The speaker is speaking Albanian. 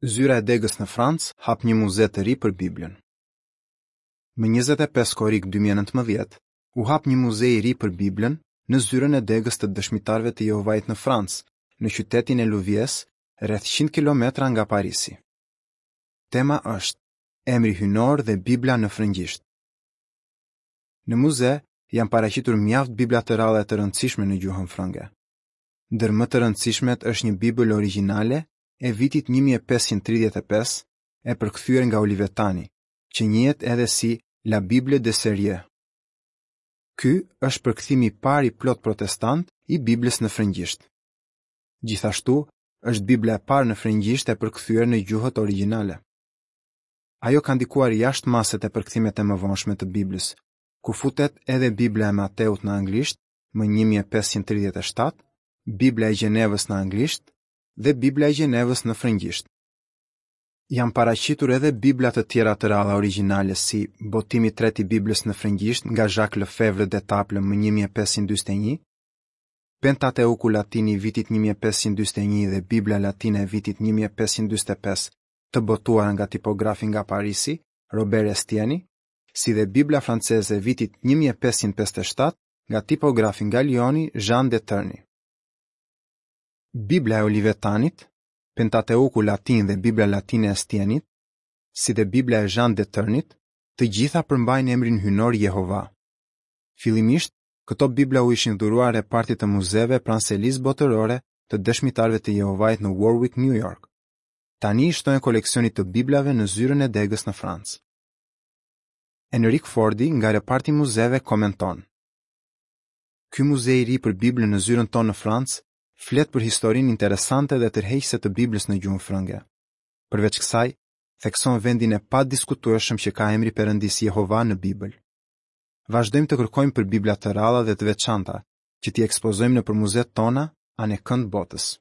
Zyra e degës në Francë hap një muze të ri për Biblën. Më 25 korrik 2019, u hap një muze i ri për Biblën në zyrën e degës të Dëshmitarëve të Jehovait në Francë, në qytetin e Louviers, rreth 100 kilometra nga Parisi. Tema është Emri hyjnor dhe Bibla në frëngjisht. Në muze janë paraqitur mjaft Bibla të rralla e të rëndësishme në gjuhën frënge. Ndër më të rëndësishmet është një Bibël origjinale e vitit 1535 e përkthyer nga Olivetani, që njihet edhe si La Bible de Sérieux. Ky është përkthimi i parë i plotë protestant i Biblës në frëngjisht. Gjithashtu, është Bibla e parë në frëngjisht e përkthyer në gjuhët origjinale. Ajo ka ndikuar jashtë mase te përkthimet e mëvonshme të Biblës, ku futet edhe Bibla e Mateut në anglisht më 1537, Bibla e Gjenevës në anglisht dhe Bibla e Gjenevës në frëngjisht. Janë paraqitur edhe Bibla të tjera të rralla origjinale si botimi i tretë i Biblës në frëngjisht nga Jacques Lefebvre d'Etaples më 1541, Pentateuku latin i vitit 1541 dhe Bibla latine e vitit 1545 të botuara nga tipografi nga Parisi, Robert Estieni, si dhe Bibla franceze e vitit 1557 nga tipografi nga Lioni Jean de Terny. Bibla e Olivetanit, Pentateuku latin dhe Bibla latine e Estienit, si dhe Bibla e Jean de Ternit, të gjitha përmbajnë emrin hyjnor Jehova. Fillimisht, këto Bibla u ishin dhuruar repartit të muzeve pranë selisë botërore të Dëshmitarëve të Jehovait në Warwick, New York. Tani i shtohen koleksionit të Biblave në zyrën e degës në Francë. Enrik Fordi nga reparti i muzeve komenton: Ky muze i ri për Biblën në zyrën tonë në Francë flet për historinë interesante dhe tërheqëse të Biblës në gjuhën frënge. Përveç kësaj, thekson vendin e padiskutueshëm që ka emri i Perëndisë Jehova në Bibël. Vazhdojmë të kërkojmë për Bibla të rralla dhe të veçanta, që t'i ekspozojmë nëpër muzetë tona anekënd botës.